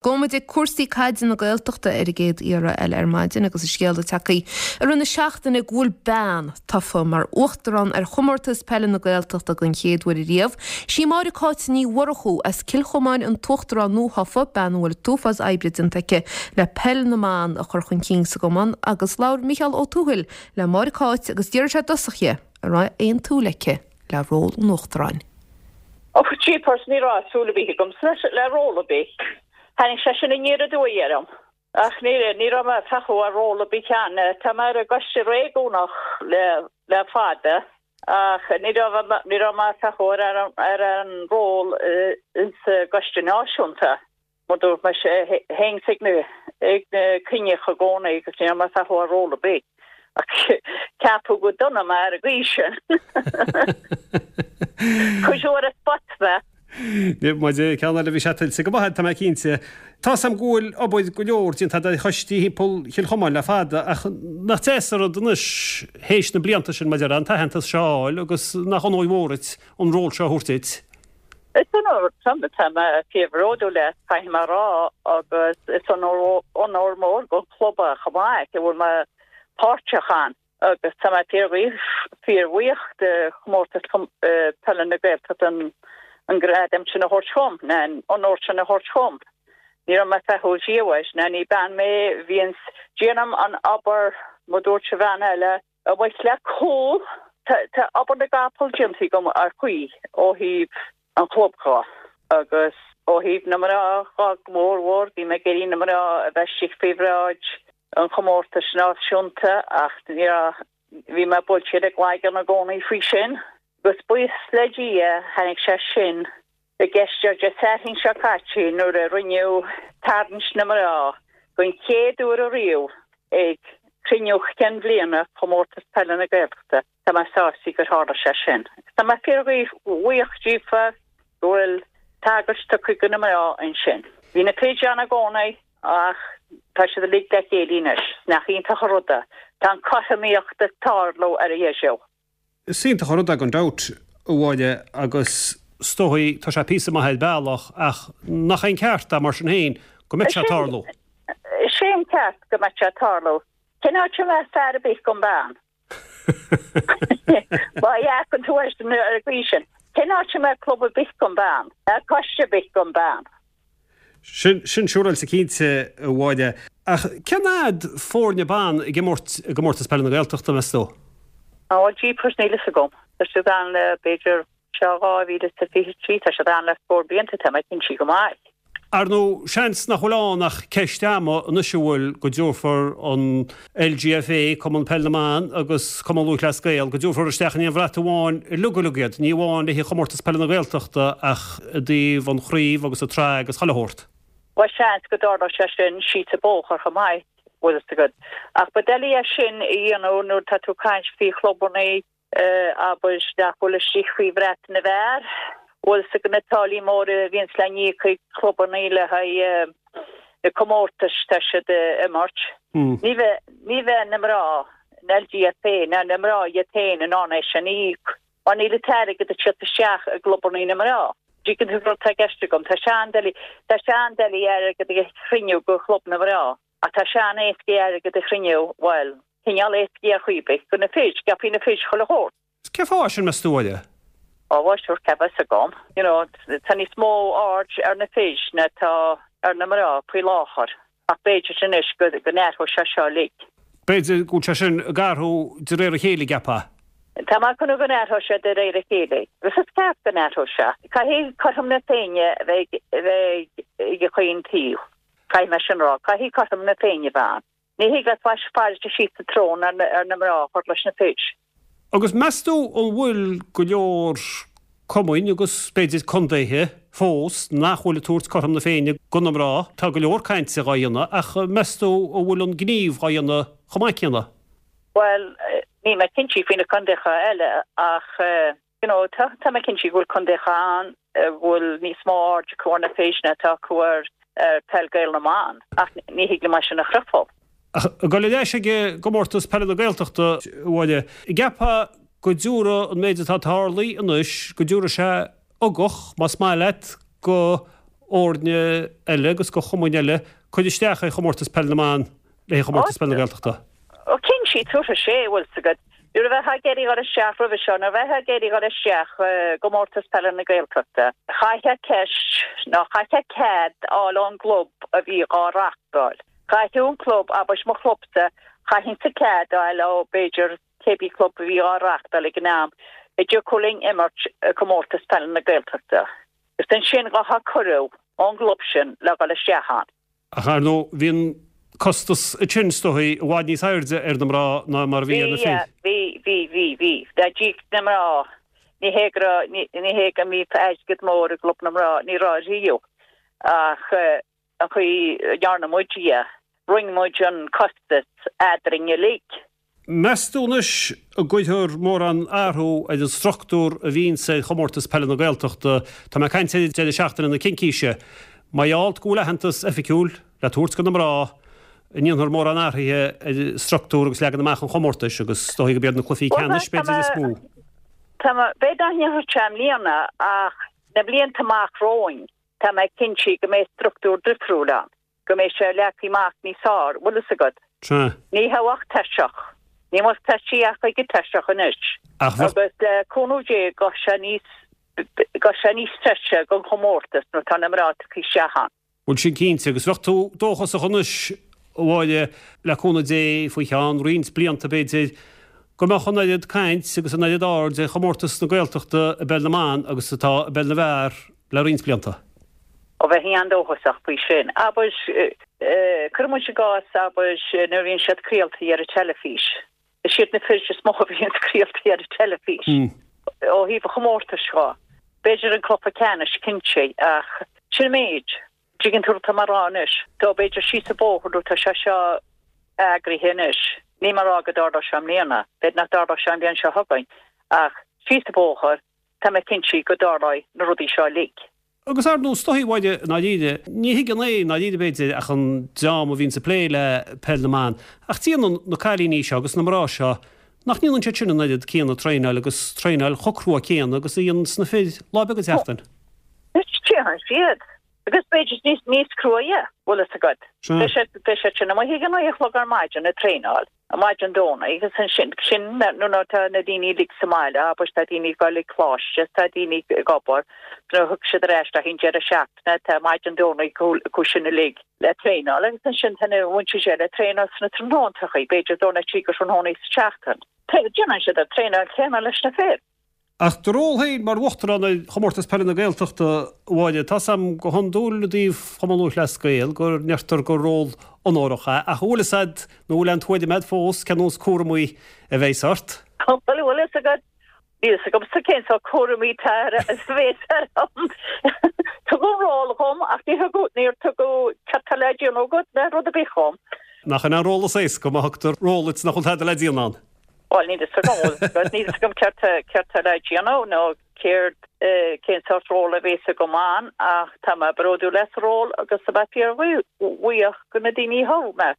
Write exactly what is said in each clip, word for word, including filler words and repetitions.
Gabhfaidh muid ag cúrsaí caide na Gaeltachta ar an gcéad iarraidh eile ar maidin agus an scéal tagtha i rith na seachtaine go bhfuil bean tofa mar uachtarán ar chomórtas peile na Gaeltachta den chéad uair riamh. Sí Máire Cáit Ní Mhurchú as Cill Chomáin an t-uachtarán nuathofa bean a bhfuil uafás oibre déanta aici le peil na mban a chur chun cinn sa gcumann agus labhair Micheál Ó Tuathail le Máire Cáit agus d'iarr sé i dtosach di an raibh aon tsúil aici le ról an uachtaráin. Ó jeepers ní raibh súil ar bith agam le ról ar bith. Tháinig sé sin aniar aduaidh orm. Ach ní ní raibh mé ag féachaint ar ról ar bith cheana Tá mé ar an gcoiste réigiúnach le le fada ach ní raibh ní raibh mé ag féachaint ar ar an ról sa gcoiste náisiúnta. Mar dúirt mé sé théinn ag na ag na cruinnithe i gcónaí agus ní raibh mé ag féachaint ar ról ar bith. Ach ceapadh go dona mé ar an gcaoi sin. Cuireadh ar an spot mé. Muid ceann eile bhí sé tuillte go maith tá mé cinnte. Tá sam ghfuil obair go leor déanta do choistí thimpeall Chill Chomáin le fada ach nach deas an rud anois théis na blianta sin maidir an t-aitheantas seo a fháil agus nach onóir mhór duit an ról seo a thabhairt duit. Is onóir tá mé fíorbhródúil le caithfidh mé a rá agus is onóir mór don chlub chomh maith go bhfuil mé páirteach ann. agus tá mé fíorbhuíoch de chomórtas peile na Gaeltachta an an gradam sin a thabhairt dom ná an onóir sin a thabhairt dom. Ní raibh mé ag féachaint riamh ná ní bean mé bhíonn déanaim an obair mar dúirt se bhean eile a bhfuil le cúl Tá obair na gcapall déanta agam ar chaoi ó thaobh an chlub de agus ó thaobh na mná go mórmhór bhí mé ag iarraidh na mná a bheith istigh faoi bhráid an chomórtais náisiúnta ach ní bhí mé buailte i gcloigeann i gcónaí faoi sin. Agus buíochas le Dia tháinig sé sin i gceist ar Dé Sathairn seo caite nuair a rinneadh tarraingt na mná den chéad uair riamh ag cruinniú cinn bhliana chomórtas peile na Gaeltachta Tá mé sásta gur tharla sé sin. Tá mé fíorbhuíoch díofa go bhfuil tagairt tugtha do na mná ansin. Bhí na fir ann i gcónaí ach tá siad uilig le chéile anois nach iontach an rud é. Tá an chothromaíocht ag tarlú ar a dhéisiú. Is iontach an rud é gan dabht a Mháire agus is dóigh tá sé píosa maith ar bealach ach nach é an ceart é mar sin féin go mbeadh sé ag tarlú. Sé an ceart go mbeadh sé ag tarlú. Cén áit a mbeadh fear ar bith gan bean. Ba an tú ar an gcaoi sin. Cén áit a mbeadh club ar bith gan bean, coiste ar bith gan bean. Sin sin siúráilte cinnte a Mháire. Ach cén fhad foirne ban ag imirt i gcomórtas peile na Gaeltachta meas tú? Á jeepers níl a fhios agam. Tá siad ann le b'fhéidir seo dhá mhíle is fiche trí tá siad ann le scór blianta tá mé cinnte go maith. Ar ndóigh seans nach bhfuil ann ach ceist ama anois a bhfuil go dtabharfar an LGFA, Cumann Peile na mBan agus Cumann Lúthchleas Gael, go dtabharfar isteach in aon bhrat amháin uilig uilig iad, ní amháin le haghaidh chomórtas peile na Gaeltachta ach i dtaobh an chraobh agus an tsraith agus chuile shórt. Bhuel seans go dtarlódh sé sin síos an bóthar chomh maith bhfuil a fhios agat. Ach ba doiligh é sin a dhéanamh nuair tá tú ag caint faoi chlubanna abair nach bhfuil istigh faoi bhrat na bhfear. Bhfuil a fhios agat na táillí móra a bhíonns le n-íoc ag clubanna le haghaidh na comórtais tá siad ag imirt. Ní bheidh ní bheidh na mná an LGFA ná na mná iad féin in ann é sin a íoc mar níl an t-airgead ag teacht isteach i gclubanna na mná. Tuigeann tú rud tá i gceist agam tá sé an-doiligh tá sé an-doiligh airgead a chruinniú go chlub na mná ach tá sé an-éasca airgead a chruinniú bhuel cineál éasca ar chaoi ar bith do na fir scaipfidh na fir chuile shórt. Cén fáth sin meas tú a Mháire? Á bhuel sure cá bhfios agam. You know tá níos mó aird ar na fir ná tá ar na mná faoi láthair ach b'fhéidir anois go go n-athróidh sé seo uilig. B'fhéidir go bhfuil sé sin ag athrú de réir a chéile ceapfá. Tá mé ag tnúth go n-athróidh sé de réir a chéile. Agus is ceart go n-athróidh sé. Caithfidh cothrom na Féinne a bheith a bheith ag chaon taobh. Caithfidh mé sin a rá. Caithfidh cothrom na Féinne a bheith ann. Ní thig leat faire síos an tsrón ar na ar na mná a chur leis na fir. Agus meas tú an bhfuil go leor cumainn agus b'fhéidir contaetha fós nach bhfuil ag tabhairt cothrom na Féinne do na mná? Tá go leor cainte dhá dhéanamh ach meas tú an bhfuil an gníomh dhá dhéanamh chomh maith céanna? Bhuel, níl mé cinnte faoi na contaetha eile ach you know tá tá mé cinnte go bhfuil contaetha ann a bhfuil níos mó aird acu ar na fir ná atá acu ar ar peil Gael na mban ach ní thig liom é sin a chreidbheáil. Ach ag dul ar ais ag gcomórtas peile na Gaeltachta a Mháire, an gceapfá go dtabharfaidh an méid atá tarlaithe anois, go dtabharfaidh sé ugach, más maith leat, go fhoirne eile agus do chumainn eile cur isteach ar Chomórtas Peile na mBan le Comórtas Peile na Gaeltachta. Ó cinnte tabharfaidh sé, bhfuil 's agat. Nuair a bheifeá ag iarraidh dhul isteach roimhe seo, nuair a bheifeá ag iarraidh dhul isteach i gComórtas Peile na Gaeltachta, chaithfeá ceist nó chaithfeá cead a fháil ón gclub a bhí dhá reachtáil. Chaithfeadh an club, abair mo chlubsa, chaithfinnse cead a fháil ó b'fhéidir cébí club a bhí á reachtáil ag an am, a dtiocfadh linn imirt i gComórtas Peile na Gaeltachta. Is ansin gheofá cuireadh ón gclub sin le dhul isteach ann. Ach ar ndóigh, bhí an costas ansin is dóigh i bhfad níos airde ar na mná ná mar a bhí ar na fir. Bhí, bhí, bhí, bhí. Dá dtíocht na mná, ní hé go raibh, ní hé go mbíodh airgead mór i gclub na mná, ní raibh riamh. Ach an chaoi a ndearna muid é, roinn muid an costas eadrainn uilig. Meas tú anois an gcuirfear mórán athrú ar an struchtúr a bhíonns ar Chomórtas Peile na Gaeltachta? Tá mé ag caint ar deireadh seachtaine na Cincíse. Mar gheall go bhfuil aitheantas oifigiúil le tabhairt do na mná, an ndéanfar mórán athruithe ar struchtúr agus leagan amach an chomórtais agus is dóigh go mb'iad na cluichí ceannais b'fhéidir is mó. Tá mé, b'fhéidir nach ndéanfar sé i mbliana ach na blianta amach romhainn tá mé cinnte go mbeidh struchtúr difriúil ann. go mbeidh sé leagtha amach níos fearr, bhfuil fhios agat. Sea. Ní hé ach tairseach. Ní must tairsigh ach ag an tairseach anois. Ach bheadh. Agus le cúnamh Dé gabhfaidh sé níos, gabhfaidh sé níos treise don chomórtas nuair atá na mná tagtha isteach ann. Bhuel sin cinnte. Agus bheadh tú dóchasach anois, a Mháire, le cúnamh Dé, faoi cheann roinnt blianta b'fhéidir, go mbeadh an oiread caint agus an oiread aird ar chomórtas na Gaeltachta i bpeil na mban agus atá i bpeil na bhfear le roinnt blianta. Ó bheifinn an-dóchasach faoi sin. Abair, cuireann muid i gcás, abair, nuair a bhíonn siad craolta ar an teilifís. Is iad na fir is mó a bhíonn craolta ar an teilifís. Ó thaobh an chomórtais dhó. B'fhéidir an cluiche ceannais, cinnte, ach sin an méid. Tuigeann tú tá mé a rá anois. Tá b'fhéidir síos an bóthar nó tá sé seo eagraithe anois. Níl mé a rá go dtarlóidh sé i mbliana, b'fhéidir nach dtarlóidh sé an bhliain seo chugainn, ach síos an bóthar, tá mé cinnte go dtarlóidh na rudaí seo uilig. Agus ar ndóigh, is dóigh, a Mháire, i ndáiríre, ní thuigeann é i ndáiríre b'fhéidir ach an dream a bhíonns ag plé le peil na mban, ach déanann na cailíní seo agus na mná seo, nach ndéanann siad sin an oiread céanna traenáil agus traenáil chomh crua céanna agus a dhéananns na fir lá beag an tseachtain? Déanann siad. Agus b'fhéidir níos, níos cruaidhe, bhfuil fhios agat. Beidh siad, beidh siad sin amuigh ag a naoi a chlog ar maidin ag traenáil. Maidin Domhnaigh agus ansin, sin nuair atá na daoine uilig sa mbaile, abair, tá daoine ag dul ag coláiste, tá daoine ag obair, nuair a thiocfaidh siad ar ais le haghaidh an deireadh seachtaine, tá maidin Domhnaigh acu sin uilig le traenáil agus ansin tá na mhuintir eile ag traenáil sna tráthnóntachaí, b'fhéidir Domhnach trí go tráthnóna sa tseachtain. Déanann siad an traenáil céanna leis na fir. Ach do ról féin mar Uachtarán ar Chomórtas Peile na Gaeltachta, a Mháire, tá 's a'm go hiondúil i dtaobh Chumann Lúthchleas Gael go ndeirtear gur ról onórach é, ach an bhfuil fhios a'd nó an bhfuil aon tuairim a'd fós cén nós cúramaí a bheas ort? Bhuel, bhfuil fhios agat, níl fhios agamsa cén sórt cúramaí atá ar, a bheas orm. Tugadh ról dhom ach ní thugadh, níor tugadh cad tá le déanamh agat ná rud ar bith dhom. Nach in an ról is éasca má thugtar ról duit nach bhfuil tada le déanamh ann? Bhuel, níl fhios agam, níl fhios agam céard céard tá le déanamh nó céard cén sórt ról a bheas agam ann ach tá mé bródúil as an ról agus tá mé fíorbhuíoch go na daoine a thogh mé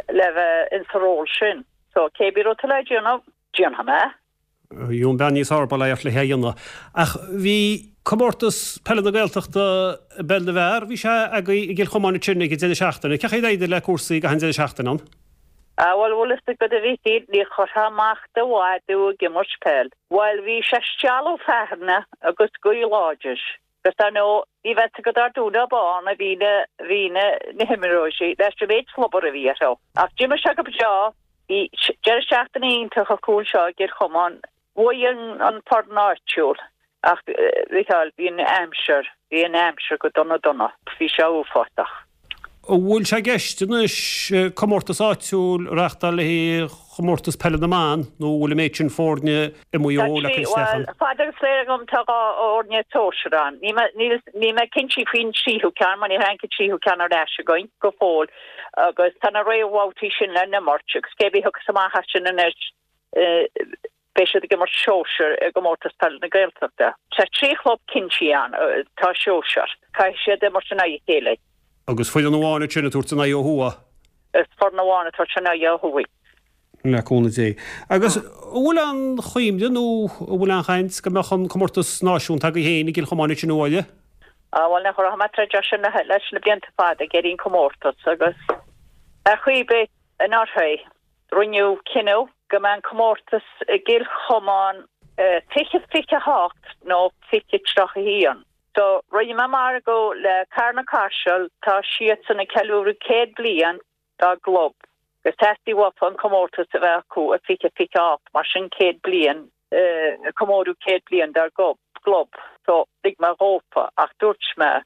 le bheith insa ról sin. So cé bith rud tá le déanamh, déanfaidh mé. Bhí an bean níos fearr bail ort le é a dhéanamh. Ach bhí comórtas peile na Gaeltachta i bpeil na bhfear, bhí sé agaibh i gCill Chomáin ansin ag an deireadh seachtaine. Cén chaoi ar éirigh le cúrsaí ag an deireadh seachtaine ann? Ah bhuel, bhfuil fhios agat a Mhichíl, ní chuirfeá amach do mhadadh ag imirt peil. Bhuel, bhí sé stealladh fearthainne agus gaoth láidir. Agus dar ndóigh, ní bheadh fhios agat ar dubh ná bán a bhí na, bhí na, na himreoirí leis an méid slobair a bhí orthu. Ach d'imir sé go breá. Bhí deireadh seachtaine iontach acu anseo i gCill Chomáin. Bhuaigh an, an foireann áitiúil. Ach, a Mhichíl, bhí an aimsir, bhí an aimsir go dona dona. Bhí sé uafásach. An bhfuil sé i gceist anois comórtas áitiúil a reáchtáil le haghaidh chomórtas peile na mban nó an bhfuil an méid sin foirne i Maigh Eo le cur isteach ann? Bhuel, fad agus léir agam tá dhá fhoirne sóisir ann. Níl mé cinnte faoin tríú ceann mar ní tháinig an tríú ceann ar ais againn go fóill agus tá na réamhbhabhtaí sin le n-imirt agus cé bith a thiocfas amach as sin anois Beidh siad ag imirt sóisir i gComórtas Peile na Gaeltachta. Tá trí chlub cinnte ann atá sóisir. Caithfidh siad imirt in aghaidh a chéile. Agus foireann amháin ansin ag tabhairt a n-aghaidh ó thuaidh. Is foireann amháin ag tabhairt a n-aghaidh ó thuaidh. Le cúnamh Dé. Agus an bhfuil aon chuimhne nó an bhfuil aon chaint go mbeadh an comórtas náisiúnta agaibh féin i gCill Chomáin ansin a Mháire? Ah, bhuel, nach raibh mé ag troid as sin leis na blianta fada ag iarraidh an comórtas agus ar chaoi ar bith anuraidh rinneadh cinneadh go mbeadh an comórtas i gCill Chomáin fiche fiche hocht nó fiche tríocha haon. So rinne mé margadh le Carna Caiseal, tá siadsan ag ceiliúradh céad bliain dá gclub agus theastaigh uafa an comórtas a bheith acu i fiche fiche hocht mar sin céad bliain, comóradh céad bliain dár gclub. So lig mé dhófa ach dúirt mé,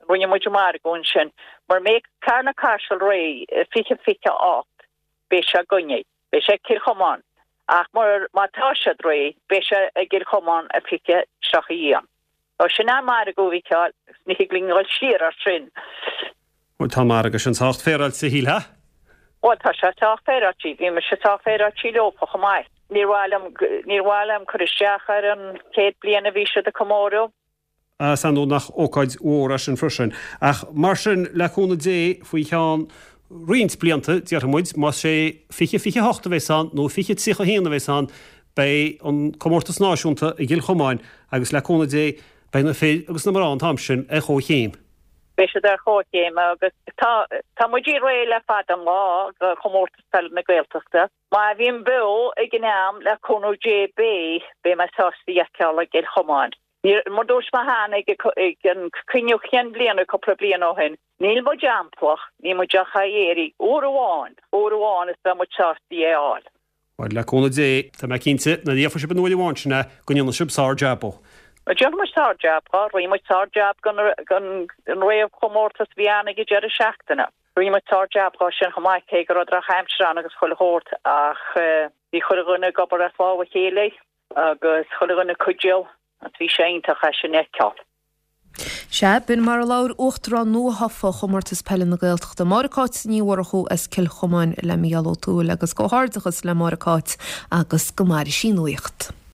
rinne muid margadh ansin, mura mbeidh Carna Caiseal réidh i fiche fiche hocht beidh sé againne, beidh sé ag Cill Chomáin ach mur, má tá siad réidh beidh sé i gCill Chomáin i fiche tríocha haon. So sin an margadh a Mhícheáil, ní thig linn dhul siar as sin. Bhuel tá an margadh sin sách féaráilte, shílfeá? Bhuel tá sé sách féaráilte, bhí mise sách féaráilte leofa chomh maith. Níor mhaith liom, níor mhaith liom cur isteach ar an chéad bliain a bhí siad ag comóradh. Is ar ndóigh nach ócáid mhór é sin freisin. Ach mar sin, le cúnamh Dé, faoi cheann roinnt blianta, déarfaidh muid, más sé fiche fiche hocht a bheas ann nó fiche tríocha haon a bheas ann, beidh an comórtas náisiúnta i gCill Chomáin agus le cúnamh Dé, beidh na fir agus na mná an t-am sin ar chomhchéim. Beidh siad ar chomhchéim agus tá, tá muid réidh le fada an lá do chomórtas peile na Gaeltachta. Má bhím beo ag an am, le cúnamh Dé, beidh, beidh mé sásta é a fheiceáil i gCill Chomáin. Mar dúirt mé cheana ag an cruinniú cinn bliana cúpla bliain ó shin, níl muid amplach, níl muid ach á iarraidh uair amháin, uair amháin is beidh muid sásta é a fháil. Bhuel, le cúnamh Dé, tá mé cinnte, nuair a gheobhaidh sibh an uair amháin sin é, go ndéanfaidh sibh sár-jab dhó. Déanfaidh muid sár-jab dhó, rinne muid sár-jab don réamhchomórtas a bhí ann ag an deireadh seachtaine. Rinne muid sár-jab dhó sin chomh maith, cé go raibh drochaimsir ann agus chuile shórt, ach bhí chuile dhuine ag obair as lámh a chéile agus chuile dhuine ag cuidiú. Bhí sé iontach é sin a fheiceáil. Sea, b'in mar a labhair Uachtarán nua-thofa Chomórtas Peile na Gaeltachta, Máire Cáit Ní Mhurchú as Cill Chomáin le Mícheál Ó Tuathail agus comhghairdeachas le Máire Cáit agus go maire sí nuaíocht.